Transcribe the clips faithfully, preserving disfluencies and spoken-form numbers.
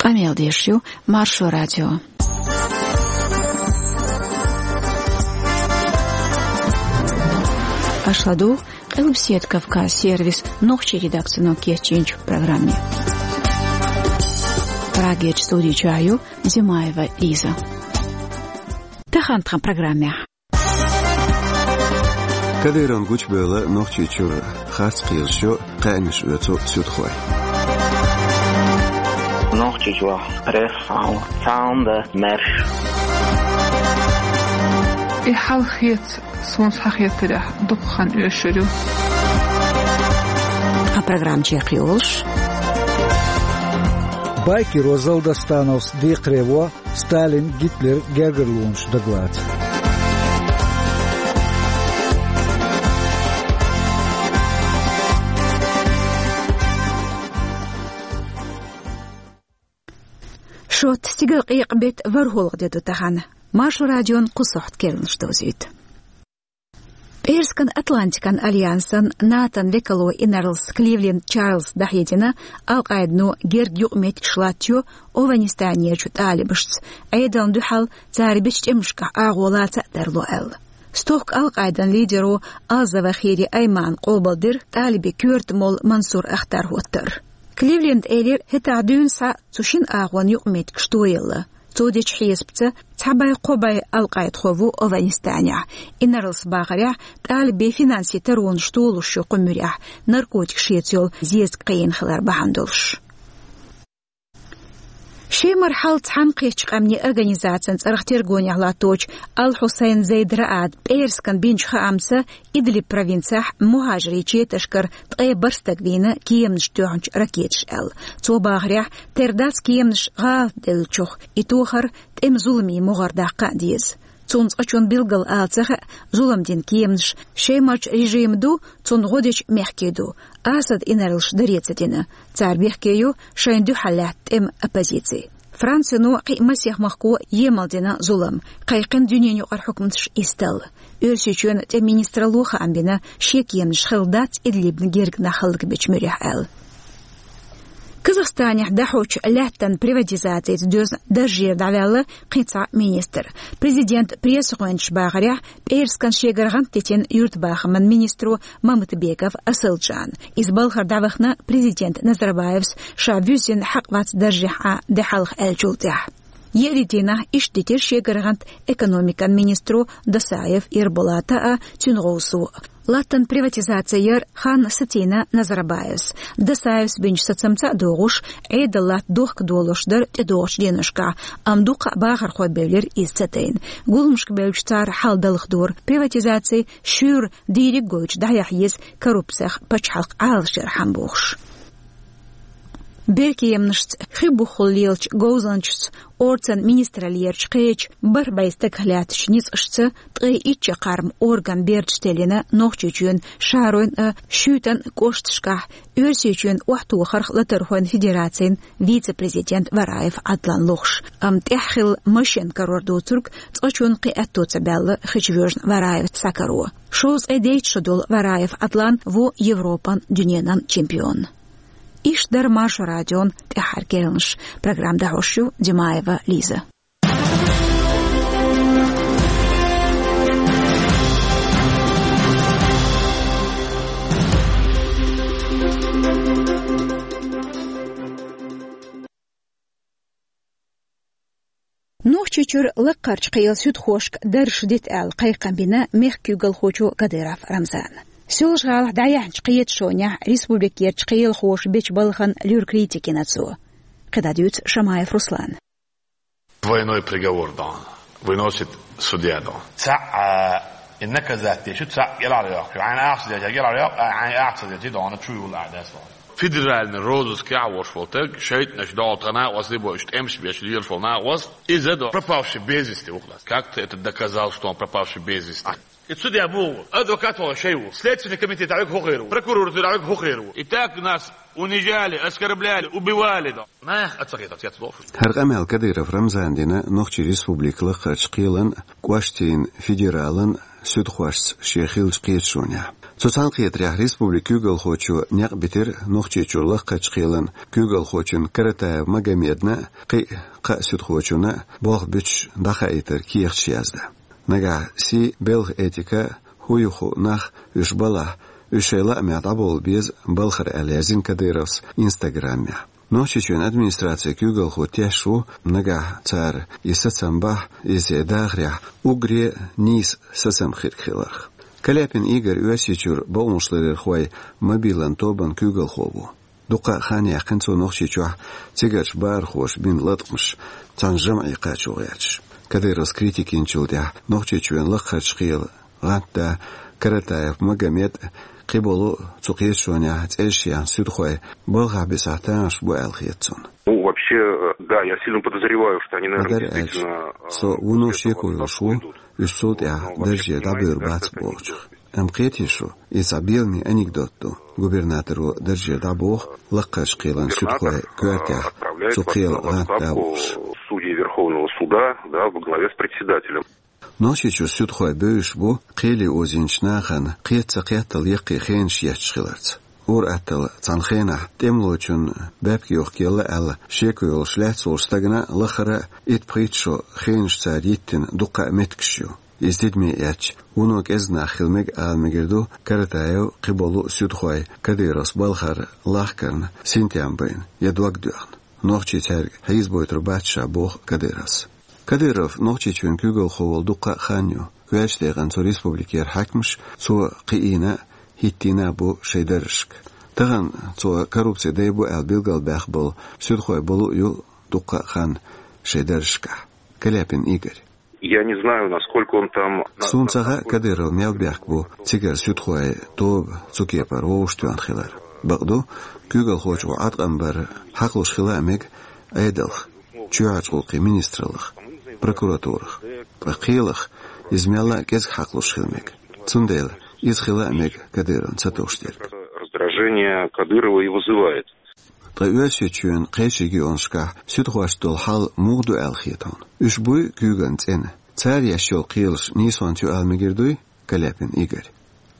Къамел деш ю Маршо радио. Аша ладугӀу Къилбаседа Кавказ сервисан нохчийн редакцино кечйинчу программе. Прагерчу студи чохь ю Зимаева Лиза. Тахана тхан программехь. Кадыровн гучубевлла Нохчийчуьра харц кхелаш йо, кхаьънаш оьцу суьдхой. Нохчийчохь пресса хьалха цхьана дан маьрша. И хьал хета, суна схьахетарехь, дукха хан оьшур ю. Тхан программа чекхйолуш. Байкеро Залдастановс декхаре во Сталин, Гитлер гергарлонаш дагалаца. Шот, стигалкъекъа беттан ворхӀалгӀа де ду тахана. Маршо радион кху сохьта керланаш довзуьйту. ПӀераскан Атлантикан альянсан, НАТОн векало инарлас Кливленд Чарльз дӀахьедина, Ал-Къаидано герга юкъаметтигаш латтайо ОвхӀанистанерчу талибашца, Ӏедална дуьхьал цара бечу тӀемашкахь агӀо лаца а тарло аьлла. Стохка Ал-Къаидан лидеро Ал-Завахири Аймана къобалдира талибийн коьрта молла Мансур Ахтар хӀоттар. Кливленда элира, хӀетахь дуьйна схьа цу шина агӀонан юкъаметтигаш тоелла. Цо дечу хьесапца, цхьа бӀе-кхо бӀе Ал-Къаидхо ву ОвхӀанистанехь, инарлас бахарехь, талибийн финансийн таронаш толуш ю кху муьрехь, наркотикаш шеца йолу зезаг кхиийна хилар бахьана долуш. Шемара хьал цхьаьнакхеттачу къаьмнийн организацин цӀарах тергонехь латточу Ал-Хьусайн Зейд Раада пӀераскан бинчу хаамца, Идлиб провинцехь мухӀажирийн четашкара ткъе бархӀ стаг вийна кеманаш тоьхначу ракеташа аьлла. Цо бахарехь, тера дац кеманаш гӀалатделлачух, и тохар тӀеман зуламийн могӀара даккха а деза. Цунна цкъачунна билггал ала ца хаьа, зулам дина кеманаш Шемарчу режиман ду, цунна гӀо дечу мехкийн ду. Асадан инарлаша даре ца дина. Цара бехке ю шайна дуьхьал лаьтта тӀеман оппозици. Францино, кхин а масех махко емал дина зулам, кхайкхина дуьненан юкъара хьукматаш исталла. Оьрсийчоьнан тӀеман министралло хаам бина, шен кеманаш хилла дац Идлибна герга нах хӀаллакбечу муьрехь аьлла. Казахстанехь дӀахьочу лаьттан приватизацица доьзна даржера дӀаваьлла кхин цхьа министр. Президентан пресс-гӀоьнчаша бахарехь, пӀераскан шегара гӀант дитина юьртабахаман министро Мамытбеков Асылжан. Иза балхара дӀавахана президента Назарбаевс ша вуьззина хьакъ вац даржехь Ӏан де хьалха аьллачул тӀаьхьа. Еарин дийнахь иштта дитира шегара гӀант экономикан министро Досаев Ерболата а, цуьнан гӀовсо а. Латтан приватизаци яр хан сацийна Назарбаевс. Досаевс бинчу сацамца а догӀуш, Ӏедал латта дохкадолуш дара тӀедогӀучу деношкахь, амма дуккха а бахархой бевлира иза ца тайна. Гуламашка бевлча цара хьал далхадора, приватизаци шуьйра дийриг а гойтуш дӀаяхьа еза коррупцех пачхьалкх Ӏалашъярхьама бохуш. Беркеманашца, хи буххула лелачу говзанчашца, орцан министраллерчу кхечу бархӀ бӀе стагах лаьттачу ницкъашца ткъе итт чаккхарма орган бердаш теллина Нохчийчоьнан шахьаройн а, шуьйтан а кӀошташкахь, Оьрсийчоьнан охьатохарх латархойн федерацин вице-президент Вараев Ӏадлан лохуш. Амма тӀаьхьа хилла машен карор доцург цкъачунна кхин аьтто ца баьлла хи чу воьжна Вараевца схьакаро. Шовзткъе дейтта шо долу Вараев Ӏадлан ву Европан, дуьненан чемпион. Иштта дара Маршо радион тӀаьххьара керланаш. Программа дӀахьош ю Димаева Лиза. Нохчийчуьра лакхарчу кхелан суьдхошка дарж дита аьлла кхайкхам бина мехкан куьйгалхочо Кадыров Рамзана. Соьлжа-ГӀалахь дӀаяьхьначу кхеташонехь республикерчу кхелахоша бечу балхана луьра критика йина цо. КхидӀа дуьйцу Шамаев Руслана. Двойной приговор, да, выносит судья, да. Цхьаъ, а, и наказать деш ю, цхьаъ кӀелхьарйоккху. Хьайна ахча деча кӀелхьарйоккху, а хьайна ахча деча доьхна чу юла а дес ван. Федеральный розыскехь а волуш волу таг, шайтӀанаш догӀу тхан накъост, либо уьш тӀемаш беш лелаш волу накъост, иза до пропавший без вести ву-кх. Как ты это доказал, что он пропавший без вести? И судья муха ву? Адвокат ван шай ву. Следственный комитет дӀавига хӀокхуьйр ву. Прокуратура дӀавига хӀокхуьйр ву. И так нас унижали, оскорбляли, убивали, да. Нах а ца хетар, цец лофу. ХӀара къамел Кадыров Рамзана дина Нохчийн Республикан лакхарчу кхелан кӀоштийн федералан суьдхошца шен хиллачу кхеташонехь. Цу цхьаьнакхетарехь республикан куьйгалхочо некъ битира Нохчийчуьра Лаххарчу кхелан куьйгалхочун Каратаев Магомедан а, кхин а кхаа суьдхочун а болх буьтуш дӀахаийтар кехаташ яздан. Нагахь сий, белхан этика, хӀун ю хууш нах, уьш балахь, уьш шайн лаамехь дӀабовла беза балхара аьлла, яздина Кадыровс Инстаграмехь. Нохчийчоьнан администрацин куьйгалхо тешаш ву, нагахь цара и сацам бахь, иза церан дахарехь уггаре нийса сацам хир хиларх. Каляпин Игорь Оьрсийчуьра бакъонашларъярхойн мобилан тобан куьйгалхо ву. Дуккха а хан яьккхина цо Нохчийчохь цигарчу бахархоша бина латкъамаш цхьана жамӀе кхачо гӀерташ. Кадыровс критика йинчул тӀаьхьа Нохчийчоьнан Лаххарчу кхелан гӀантда Каратаев Магомед а, кхиболу а цу кхеташонехь цӀераш яьхна суьдхой балхахь бисахь тамаш бу аьлла хета цунна. Ну, вообще, э, да, я сильно подозреваю, что они, наверное, Ма-дарра аьлча, действительно, э, со вуно где-то шеко йолуш ву, уж цул тӀаьхьа даржера дӀабевр бац бохучух. Амма кхетий шу, иза цхьа беламе анекдот ду. Губернаторо даржера дӀабоху Лаххарчу кхелан суьдхой коьртехь цу кхелан гӀантда а волуш. Судьи Верховного суда, да, во главе с председателем. Нохчийчуьра суьдхой бевзаш бу кхеле озийначу нахана кхета ца кхеттал яккхий хенаш етташ хиларца. Ур-атталла цхьана хенахь тӀемалочун баьпкех кхелла аьлла шеко йолуш лаьцна волчу стагана лаххара а итт-пхийтта шо хенаш цара йиттина дуккха а меттигаш ю. Иза тидаме эцча, вуно кӀезиг нах хила мега ала мегар ду Каратаев, кхиболу а суьдхой Кадыровс балхара лахкарна синтем байна я дог доьхна. Нохчий цаьрга хьийзабойтур бац ша, боху Кадыровс. Кадыров Нохчийчоьнан куьйгалхо волу дуккха а хан ю. Коьртачу декъана цу республикера хьаькамаш цо кхиийна а, хӀиттийна а бу шайн даржашка. Тахана цо коррупцин дай бу аьлла билгалбаьхна болу суьдхой болу а ю дуккха а хан шайн даржашкахь. Каляпин Игорь. Я не знаю, насколько он там... Суна ца хаьа, Кадыров мел бехк бу цигара суьдхойн тоба цу кепара вовшахтоьхна хилар. Бакъду, куьйгалхочо Ӏаткъам бар хьакхалуш хила а мега Ӏедалх, чоьхьарчу гӀуллакхийн министраллах, прокуратурах. Ткъа кхелах иза мелла а кӀезиг хьакхалуш хила мега. Цундела иза хила а мега Кадыровна ца товш дерг. Раздражение Кадырова и вызывает. Ткъа Оьрсийчоьнан кхечу регионашкахь суьдхошца долу хьал муха ду аьлла хета хьуна? Уьш буй куьйган цӀена? Цара еш йолу кхелаш нийсонца ю ала мегар дуй, Каляпин Игорь?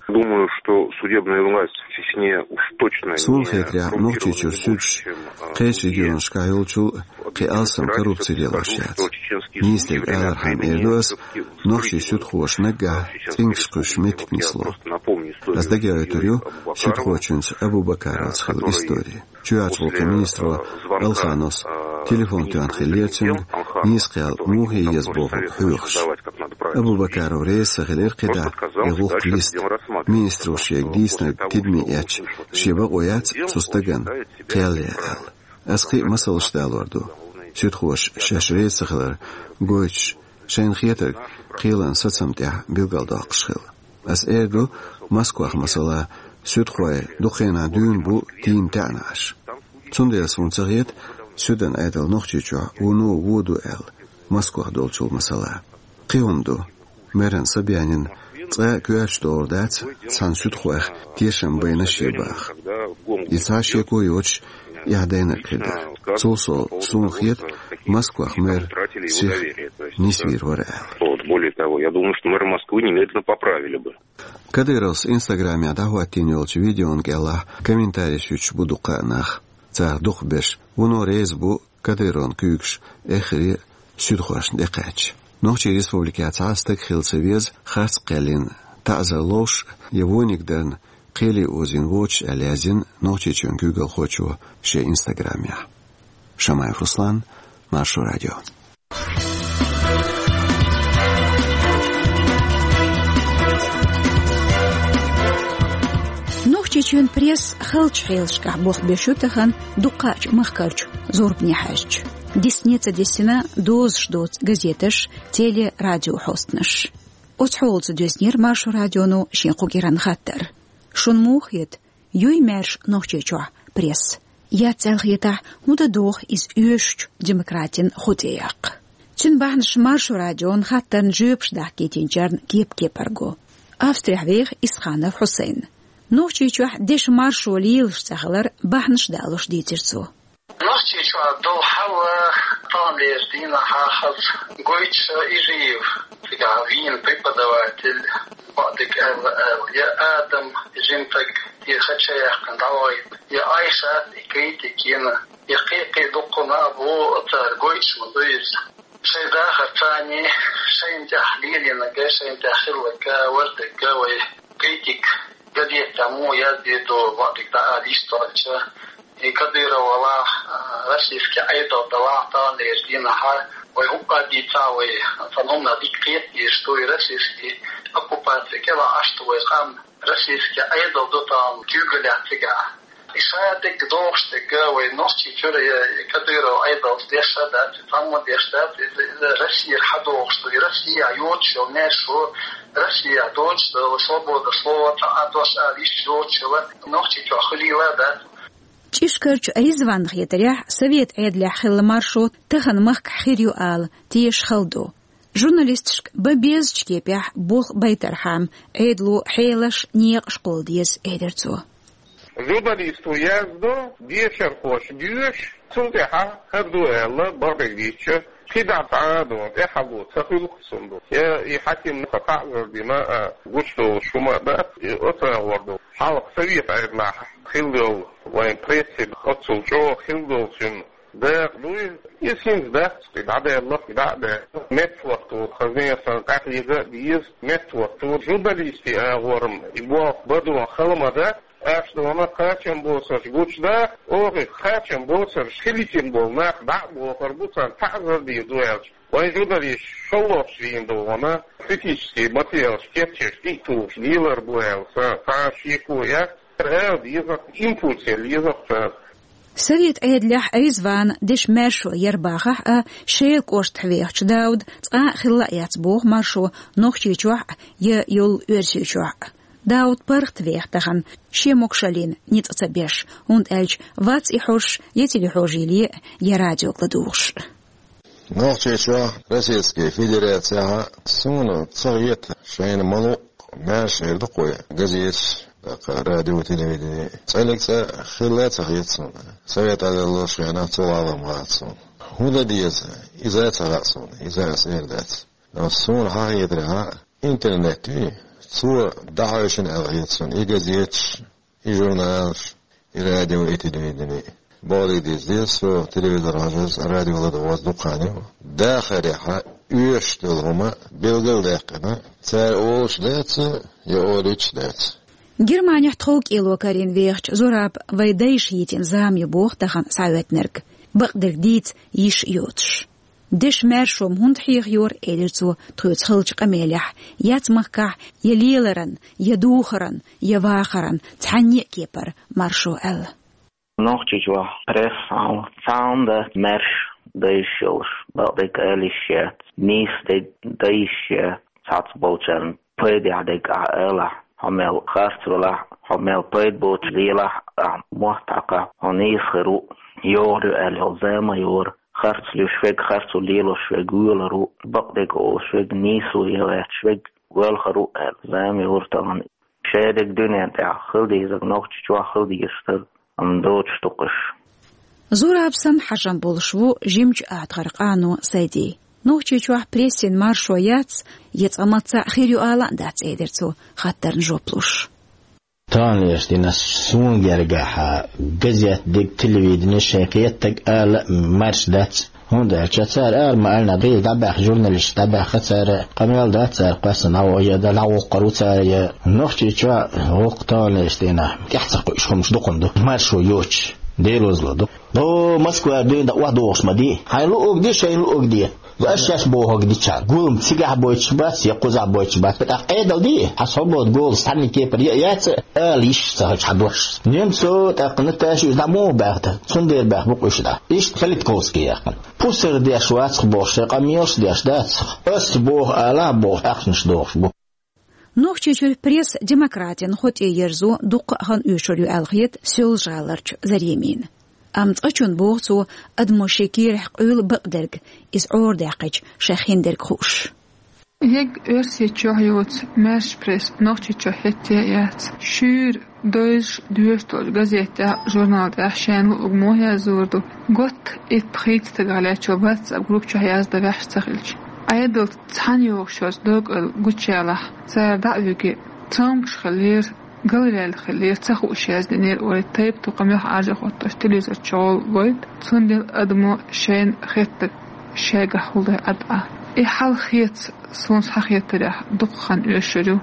Думаю, что судебная власть в Чечне уж точно... Суна хетарехь, Нохчийчуьра суьдаш кхечу регионашкахь йолчул а кхин алсам коррупци лелош яц. Нийса дерг алархьама эр ду ас, нохчийн суьдхоша наггахь цӀингаш кхуьссуш меттиг нисло. Ас дагахьойтур ю суьдхочуьнца Абу-Бакаровца хилла истори. Чоьхьарчу гӀуллакхийн министро Алхановс телефон тоьхна хиллера цуьнга, нийса кхел муха е еза бохург хьоьхуш. Абу-Бакаров реза ца хилира кхидӀа и гӀуллакх листа. Министро шега дийцинарг тидаме эцча, шен бакъо яц цу стагана кхел ян аьлла. Ас кхин а масалш далор ду. Суьдхоша шаьш реза ца хилар гойтуш, шайна хетарг кхелан сацам тӀехь билгалдоккхуш хила. Ас эр ду, Москвахь, масала, суьдхой дукха хенахь дуьйна бу тийна таьӀнаш. Цундела суна ца хета, суьдан Ӏедал Нохчийчохь вуно вон ду аьлла, Москвахь долчул, масала. Кхин хӀума ду. Мэран Собянин цкъа а коьртачу догӀур дац цхьана суьдхойх тешам байна шен баха. И цхьа шеко йоцуш эхь дайнарг хир дара. Цул сов, суна хета, Москвахь мэр сиха нисвийр вара аьлла. Вот, более того, я думаю, что мэра Москвы немедленно поправили бы. Кадыровс Инстаграмехь дӀахӀоттийна йолчу видеон кӀелахь комментареш юьтуш бу дуккха а нах. Царах дукхахберш вуно реза бу Кадыровн куьйгаш эххаре суьдхошна тӀекхаьчча. Нохчийн республикехь цхьа а стаг хила ца веза харц кхел йина, таӀзар ловш я вониг дарна кхеле озийна воцуш аьлла, яздина Нохчийчоьнан куьйгалхочо шен Инстаграмехь. Шамаев Руслан, Маршо радио. Нохчийчоьнан пресса халчу хьелашкахь болх беш ю тахана дуккхачу махкарчу зорбане хьаьжча. Дисне а ца дисина дозуш доцу газеташ, теле-, радиохьостанаш. Оцу хьолаца доьзнера Маршо радионо шен кху кӀиранан хаттар. Шуна муха хета, юй маьрша Нохчийчохь пресса? Яц аьлла хетахь, хӀун дан догӀу иза оьшучу демократин ху тӀе яккха? Цуьнан бахьанаш Маршо радион хаттарна жоьпаш дахкийтинчарна кеп-кепара го. Австрехь веха Исханов Хьусайн. Нохчийчохь дешан маршо лелаш цахилар бахьанаш далош дийцира цо. Нохчийчохь долу хьал, таханлера дийнахь хаза гойтуш, Ижиев, цигахь вийна преподаватель, Бакъдерг аьлла, аьлла, я Адам, я жимтаг, я хача яьккхина дӀавайта, я Айшат, и критик йина, я кхе-кхе дуккха а бу цар гойташ ма ду иза. Шайн дахар царний, шайна тӀехь лелийнарг, шайна тӀехь хилларг, вардарг вай критик газетта мо яздийр ду, бакъдерг дӀаала йиш долча. И Кадыров валахь, а, российский Ӏедал далахь, таханлерча дийнахьа вай хӀуъа дийца, вай цхьа номна дика кхета дезаш ду, и российский оккупаци кӀела Ӏаш ду вай къам, российский Ӏедал ду тахана куьйгаллехь цигахь. И ша дерг дохуш дерг вай Нохчийчуьра, и Кадыров Ӏедалца деш а дац, и цхьаммо деш дац, иза, иза Россера хьадохуш ду, и Россехь йоцуш йолу маьршо, Россехь доцуш долу свобода слова, цхьа а дош ала йиш йоцуш йолу Нохчийчохь хуьлийла а дац. ЧӀишкарчу Ризванна хетарехь, совет Ӏедалехь хилла маршо тахана махкахь хир ю ала, теша хала ду. Журналисташка бан безачу кепехь болх байтархьама, Ӏедало хьелаш, некъаш кхолла деза, элира цо. Журналисто яздо, дешархоша доьшу, цул тӀаьхьа хӀара ду аьлла, бакъдерг дийцича, кхидӀа цхьа а ду, тӀаьхьало ца хуьлу цунна ду. Я и хьаькамна таӀзар дина а гучудолуш хӀума а дац, и оцагӀор ду. Хьалха совет Ӏедалахь хилла йолу вайн прессе оццул чӀогӀа хилла долчун дакъа дуй, иза хӀинца дац, и дӀадаьлла, и дӀа а даьлла. МеттахӀоттор хазне сан къахьега а деза, меттахӀоттор журналистийн агӀор-м и болх бадон хала ма дац, аш дона кхачам боцурш гучудаха, оха кхачам боцурш хилийтина болу нах дӀа а бохур бу, царна таӀзар дийр ду аьлча. Вайн журналисташ шолгӀачу дийна догӀана, критический материалаш кечъеш, тӀе а тухуш лелар бу аьлла, сан цхьа а шеко яц. Ара деза, импульс яла еза цара. Совет Ӏедалехь Ризвана дешан маьршо яр бахахь а, Шелан кӀоштахь вехачу Дауда цкъа а хилла а яц боху маршо Нохчийчохь а, я йолу Оьрсийчохь а. Дауд паргӀат веха тахана, шен могушаллина ницкъ ца беш, хӀунда аьлча вац и хьожуш я телехьожийле, я радиога ладугӀуш. Нохчийчохь, Российский Федерацехь а суна ца хета шайна ма-луъу маьрша хир ду-кх вай газеташ, тӀаккха радио, телевидение. ЦӀаьллиг цӀа хилла а ца хета суна. Совет Ӏедал долчу хенахь цул гӀалгӀа ма хаьа суна. ХӀун дан деза, иза а ца хаьа суна, иза аса эр дац. Но суна хьан хетарехь а, интернет вий, цо дӀахьоьшуш аьлла хета суна и газеташ, и журналаш, и радио, и телевидение. Бакъдерг дийца деза, со телевизор хьожуш, радио ладугӀуш дукха хан ю. Дахарехь оьшуш долу хӀума билгал а даьккхина, цара олуш дац, я олуьйтуш дац. Германехь тхов кӀело карийна вехачу Зураб вай дайша йитина зама ю боху тахана схьаоьттинарг, бакъдерг дийца йиш йоцуш. Дешан маьршо-м хӀунда хьехайора, элира цо, тхоьца хиллачу къамелехь, яц махкахь я леларан, я духаран, я вахаран цхьанне а кепара маршо аьлла. Нохчийчохь пресса хьалха цхьа а хӀума дац маьрша дайша йолуш, бакъдерг ала йиш яц, нийса дерг дан йиш яц, цхьацца болчарна пайдехь дерг ахь алахь, хьо мел харц велахь, хьо мел пайда боцуш лелахь, ахь мотт хьакха, хьо нийса хир ву, йогӀур ю аьлла йолу зама а йора, харц луьйш верг, харцо лелош верг воьлур ву, бакъдерг олуш верг, нийсо ян гӀерташ верг воьлхур ву аьлла зама йора тахана. Шадерг дуьнен тӀехь хила дезарг, Нохчийчохь хила дезаш дара, амма доцуш ду-кх уьш. Зураб санна хьажам болуш ву жимачу атагӀара къано Сайди. Нохчийчохь прессин маршо яц, я цкъа мацца а хир ю ала а дац, элира цо, хаттарна жоп луш. Таханлерчу дийнахь суна гергахь газет дерг, телевидени шайн кхеттарг ала а марша дац. ХӀунда аьлча цара ара ма-аллинехь гӀийла дӀабаьхна, журналисташ дӀабаьхна, цара къамел дац, цара кхоьссина дӀа-, я дӀавоккхур ву цара, я Нохчийчохь воккха таханлерчу дийнахь тӀаьхьа ца кхуьуш хӀумнаш дукха ду, маршо йоцуш, Делозло ду. О, Москва дуьйна дан охьадогӀуш ма ди. Хьайн луъург де, шайн луъург де. Аш шаьш бохург дича, гулам цигахь бойтуш бац, я кхузахь бойтуш бац. ТӀаккха Ӏедал ди, хьан свобода голос цхьанна кепара я а яц, ала йиш ца хилча хьан дош. Немцо, тӀаккха Наташа уьш дӀа муха баьхна, цундела баьхна бу-кх уьш дӀа. Иштта Политковский яьккхина. Пусар деш вац-кх бохуш, шайн къамелаш деш дац-кх. Ас боху ала а боху, ахчанаш дохуш бу. Нохчийчуьра пресса демократин хӀу тӀе ерзо дуккха а хан оьшур ю аьлла хета Соьлжа-ГӀаларчу Заремина. Амма цкъачунна, боху цо, адамо шен кийрахь къуьйлу бакъдерг, иза Ӏорадаьккхича шайх хиндерг хууш. Ег Оьрсийчохь йоцу маьрша пресса Нохчийчохь хӀетте а яц. Шуьйра дойзуш, доьшуш долчу газетехь а, журнал тӀехь а шайна луъург муха язъяр ду? Готта итт-пхийтта стагах лаьттачу WhatsApp группа чохь яздан ваьхьаш ца хилча. Ӏедалца цхьаьна йогӀуш йоцу дог-ойла гучуялахь, цара дӀа а виги, цомгуш хиллера, галваьлла хиллера, ца хууш яздинера олий, тайпа тукхам юха Ӏаржа а хӀоттош, телевизор чу гӀолла гойту, цундела адамо шайна хеттарг шайгахь хӀуллай Ӏа тӀе. И хьал хеташ, суна схьахетарехь, дукха хан оьшур ю.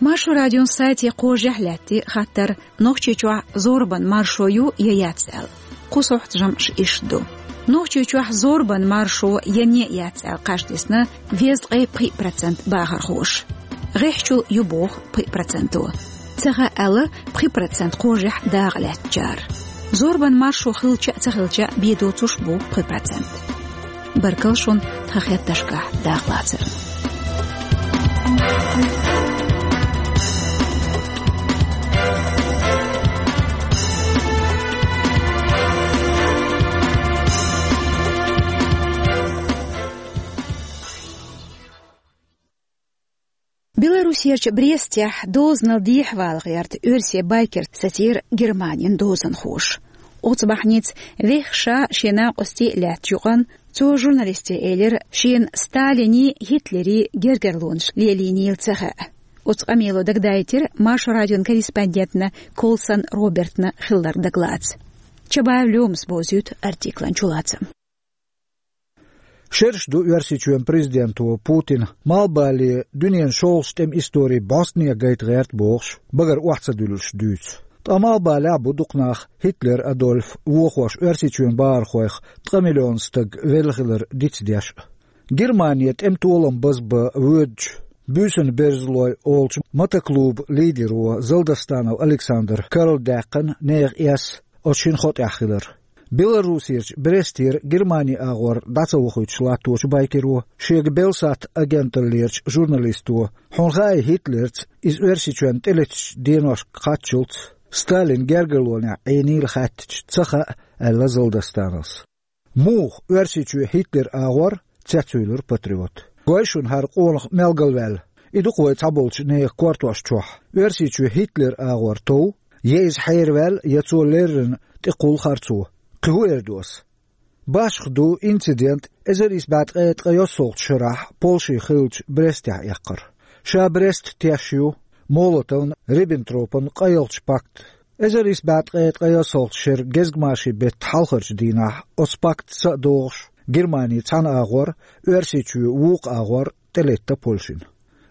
Маршо радион сайте кхожехь лаьттина хаттар: Нохчийчохь зорбан маршо ю я яц аьлла. Кху сохьта жамӀаш иштта ду. Нохчийчохь зорбан маршо я не яц аьлла кхаж дисна везткъе пхиъ процент бахархоша. ГӀеххьачул ю боху пхиъ проценто. Ца хаьа аьлла пхи процент кхожехь дакъа лаьттачара. Зорбан маршо хилча а, ца хилча а бен доцуш бу пхи процент. Баркалла шуна тхан хетташкахь дакъа лацарна. Беларусерчу Брестехь дозанал дехьавала гӀерта оьрсийн байкерт сацийра Германин дозанхоша. Оцу бахьаница вехха ша шен накъостий а лаьттачу юкъанна, цо журналисташка элира, шена Сталинийн, Гитлерийн гергарлонаш лелийнийла ца хаьа. Оцу къамело дагадайтира Маршо радион корреспондентна Колсон Робертна хилларг дагалаца. Чабаев Лёмас бовзуьйту артиклан чулацам. Шераш ду Оьрсийчоьнан президенто Путина, малхбале дуьненан шолгӀачу тӀеман историн бӀостанехьа гайта гӀерта бохуш, багара охьа ца дуьллуш дуьйцу. Ткъа малхбалехь а бу дукха нах, Гитлер Адольф вохош, Оьрсийчоьнан бахархойх ткъа миллион стаг велла хилар дицдеш а. Германе тӀеман толам базбан воьдучу, «Буьйсанан берзалой» олучу мотоклубан лидеро Залдастанов Александра карладаьккхина нехан эс оцу шина хо тӀехь хилар. Беларусерчу Брестера Германин агӀор дӀа ца вохуьйтуш латточу байкеро шега Белсат агенталлерчу журналисто: «Хьуна хаьий, Гитлерца иза Оьрсийчоьнна тӀелеттачу деношка кхаччалц Сталинан гергарлонехь Ӏийнийла хаьттича, ца хаьа», — аьлла Залдастановс. «Муха, Оьрсийчоь Гитлеран агӀор?» — цецвуьйлура патриот. «Гой шуна, хӀара къонах мел галваьлла. И ду-кх вай цхьаболчу нехан кортош чохь. Оьрсийчоь Гитлеран агӀор тов, я иза хьераваьлла, я цо леррина тӀекхуллу харцо. Кхин хӀун эр ду ас?» Башха ду инцидент эзар исс бӀе ткъе ткъе йоьссалгӀачу шарахь Польшин хиллачу Брестехь эккхар. Ша Брест теш ю Молотовн, Риббентропан къайлахчу пакт. Эзар исс бӀе ткъе ткъе йоьссалгӀачу шеран гезгмашин беттан хьалхарчу дийнахь, оцу пактаца а догӀуш, Германи цхьана агӀор, Оьрсийчоь вукху агӀор тӀелетта Польшина.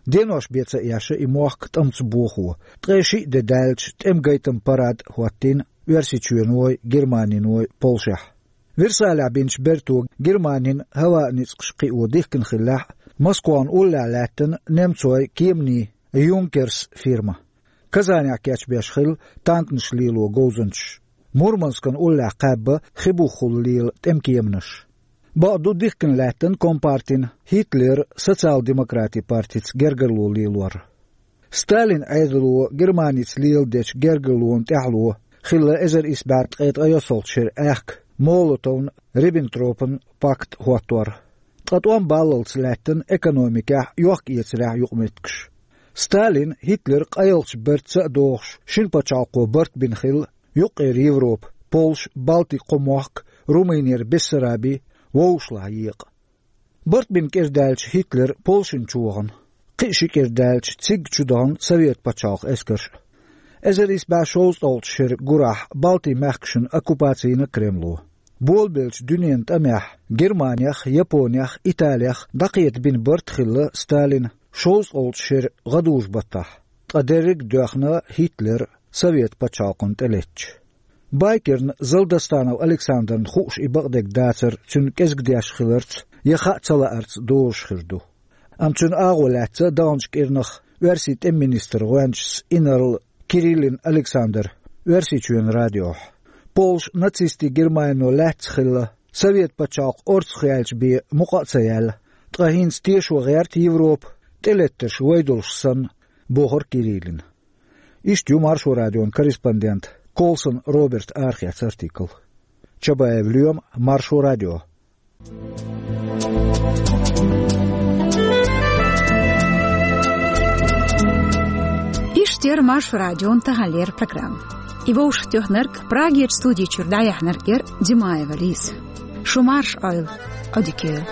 Денош бен ца эшна и мохк тӀамца бохо, ткъе шиъ де даьлча тӀеман гайтаман парад а хӀоттийна Оьрсийчоьной, Германиной Польшехь. Версалехь бинчу берто Германин хӀаваан ницкъаш кхио дихкина хиллехь а, Москван уллехь лаьттина немцойн кеманийн «Юнкерс» фирма. Казанехь кечбеш хилла танканаш лело говзанчаш. Мурманскан уллехь кхаьбба хи бухахула лела тӀемкеманаш. Бакъду, дихкина лаьттина Компартин, Гитлеран социал-демократийн партица гергарло лелор. Сталинан Ӏедало Германица леладечу гергарлонан тӀаьхьало хилла эзар исс бӀе ткъе ткъе йоьссалгӀачу шеран аьхка Молотовн, Риббентропан пакт хӀоттор. Ткъа тӀом баллалц лаьттина экономикехь, йохк-эцарехь юкъаметтигаш. Сталин, Гитлер къайлахчу бартца а догӀуш, шина пачхьалкхо барт бина хилла, юккъера Европа, Польша, Балтик кхо мохк, Румынера Бессараби, вовшашлахь екъа. Барт бина кӀира даьлча Гитлер Польшина чу вахана, кхин а ши кӀира даьлча цига чу дахана Совет пачхьалкхан эскарш а. Эзар исс бӀе шовзткъалгӀачу шеран гурахь Балтийн мехкашна оккупаци йина Кремло. Болабеллачу дуьненан тӀамехь Германех, Японех, Италех дӀакхета бина барт хилла Сталина шовзткъалгӀачу шеран гӀадужу-баттахь, ткъа дерриг а доьхна Гитлер Совет пачхьалкхана тӀелеттача. Байкерна Залдастанов Александрна хууш и бакъдерг дацар цуьнан кӀезиг деш хиларца я хаа ца лаарца дозуш хир ду. Амма цуьнан агӀо лаьцна даханчу кӀирнах оьрсийн тӀеман министран гӀоьнчас инарла Кириллин Александра Оьрсийчоьнан радиохь. Польша нацистийн Германино лаьцна хилла, Совет пачхьалкх орцах яьлча бен мукъа а ца яьлла, ткъа хӀинца тешо гӀерта Европа, тӀелеттарш вай долуш санна, бохура Кириллина. Иштта ю Маршо радион корреспондента Колсон Робертан арахецна артикл. Чабаев Лоьма, Маршо радио. Иштта яра Маршо радион таханлера программа. И вовшахтоьхнарг, Прагерчу студи чуьра дӀаяьхьнарг яра Димаева Лиза. Шу марша Ӏойла, Ӏодика йойла.